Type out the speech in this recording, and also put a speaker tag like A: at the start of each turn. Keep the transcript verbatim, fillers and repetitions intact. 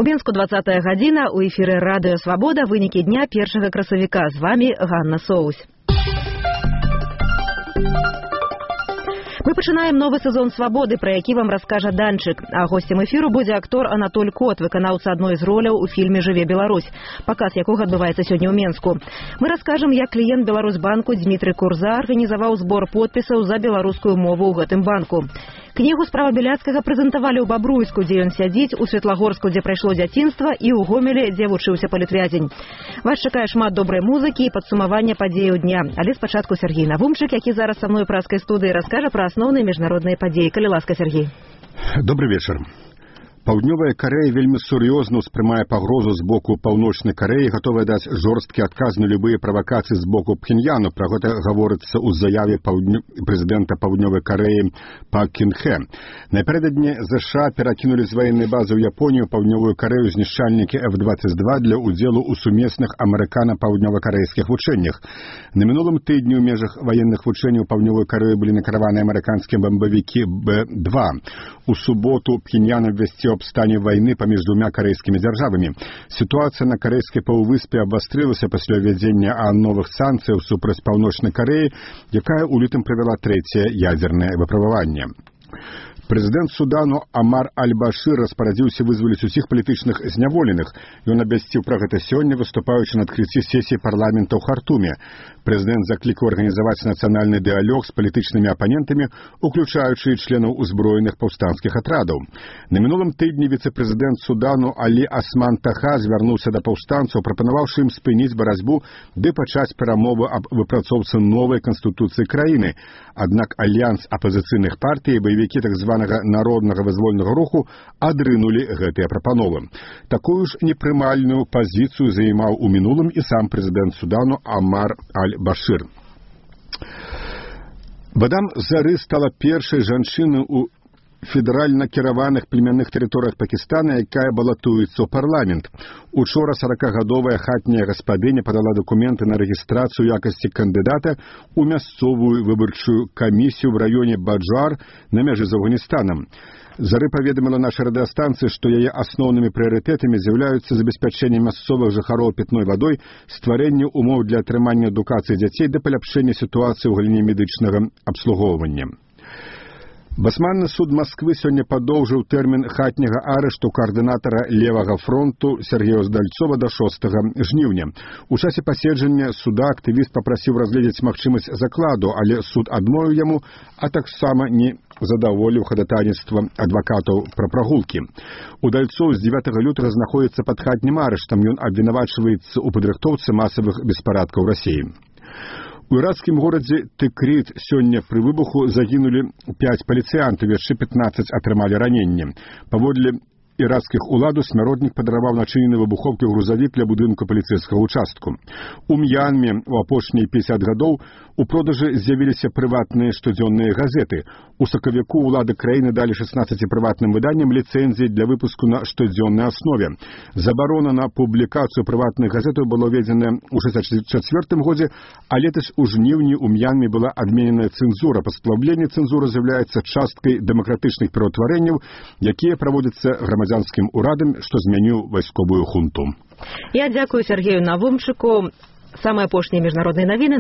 A: У Менску двадцатая гадзіна, у эфіры Радыё Свабода, вынікі дня першага красавіка. З вами Ганна Соусь. Мы пачынаем новы сезон «Свабоды», пра які вам раскажа Данчык. А госцем эфіру будзе актор Анатоль Кот, выканаўца адной з роляў у фільме «Жыве Беларусь», паказ якога адбываецца сёння ў Менску. Мы раскажам, як кліент Беларусьбанку Дмітрый Курза арганізаваў збор подпісаў за беларускую мову ў гэтым банку. Кнігу справа Беляцкага прэзентавалі ў Бабруйску, дзе ён сядзіць, у Светлагорску, дзе прайшло дзяцінства, і ў Гомеле, дзе вучыўся палітвязень. Вас чакае шмат добрай музыкі і падсумавання падзеяў дня. Але спачатку Сергей Навумчык, які зараз са мной у праскай студыі, раскажа пра асноўныя міжнародныя падзеі. Калі ласка, Сергей.
B: Добрый вечер. Паўднёвая Карэя вельмі сур'ёзна ўспрымае пагрозу з боку Паўночнай Карэі, гатовая даць жорсткі адказ на любыя правакацыі з боку Пхеньяну. Пра гэта гаворыцца ў заяве паўднё... прэзідэнта Паўднёвай Карэі Пак Кін Хэ. Напярэдадні ЗША перакінулі з ваеннай базы ў Японію Паўднёвую Карэю знішчальнікі эф двадцать два для ўдзелу ў сумесных амерыкана-паўднёва-карэйскіх вучэннях. На мінулым тыдні ў межах ваенных вучэнняў Паўднёвой Карэі былі накіраваны амерыканскія бамбавікі Бэ два. У суботу Пхеньян абвясціў аб стане вайны паміж двумя карэйскімі дзяржавамі. Сітуацыя на карэйскай паўвыспе абвастрылася пасля ўвядзення новых санкцыяў супраць Паўночнай Карэі, якая ў лютым правяла трэцяе ядзернае выпрабаванне. Прэзідэнт Судану Амар Аль-Башыр распарадзіўся вызваліць усіх палітычных зняволеных. Ён абвясціў пра гэта сёння, выступаючы на адкрыцці сесіі парламента ў Хартуме. Прэзідэнт заклікаў арганізаваць нацыянальны дыялог з палітычнымі апанентамі, уключаючы членаў узброеных паўстанцкіх атрадаў. На мінулым тыдні віцэ-прэзідэнт Судану Алі Асман Таха звярнуўся да паўстанцаў, прапанаваўшы ім спыніць барацьбу ды пачаць перамовы аб выпрацоўцы новай канстытуцыі краіны. Аднак альянс апазіцыйных партый і баевікі так званага народнага вызвольнага руху адрынулі гэтыя прапановы. Такую ж непрымальную пазіцыю займаў у мінулым і сам прэзідэнт Судану Амар Аль-Башыр. Бадам Зары стала першай жанчынай у федэральна кіраваных племянных тэрыторыях Пакістана, якая балатуецца ў парламент. Учора саракагадовая хатняя гаспадыня падала дакументы на рэгістрацыю якасці кандыдата ў мясцовую выбарчую камісію ў раёне Баджар на мяжы з Афганістанам. Зары паведаміла нашай радыёстанцыі, што яе асноўнымі прыярытэтамі з'яўляюцца забеспячэнне мясцовых жыхароў пітной вадой, стварэнне умоў для атрымання адукацыі дзяцей да паляпшэння сітуацыі ў галіне медычнага абслугоўвання. Басманны суд Масквы сёння падоўжыў тэрмін хатняга арышту каардынатара левага фронту Сергея Здальцова да шостага жніўня. У часе паседжання суда актывіст папрасіў разгледзець магчымасць закладу, але суд адмовіў яму, а таксама не задаволіў хадатайніцтва адвакатаў пра прагулкі. Удальцоў з дзевятага лютага знаходзіцца пад хатнім арыштам. Ён абвінавачваецца ў падрыхтоўцы масавых беспарадкаў Расіі. У іракскім горадзе Тыкрит сёння пры выбуху загінулі пяць паліцыянтаў, яшчэ пятнаццаць атрымалі раненне. Паводле іракскіх уладаў смяротнік падарваў начынены выбухоўкай грузавік ля будынку паліцэйскага участку. У М'янме у апошнія пятьдесят гадоў у продажы з'явіліся прыватныя штодзённыя газеты. У сакавіку ўлады краіны далі шестнаццаці прыватным выданням ліцэнзіі для выпуску на штодзённай аснове. Забарона на публікацыю прыватных газетаў была ўведзеная ў шэсцьдзесят чацвёртым годзе, а летась у жніўні ў М'янме была адмененая цэнзура. Паслабленне цэнзуры з'яўляецца часткай дэмакратычных пераўтварэнняў, якія праводзяцца грамадзянскім урадам, што змяніў вайсковую хунту.
A: Я дзякую Сергею Навумчыку. Самыя апошнія міжнародныя навіны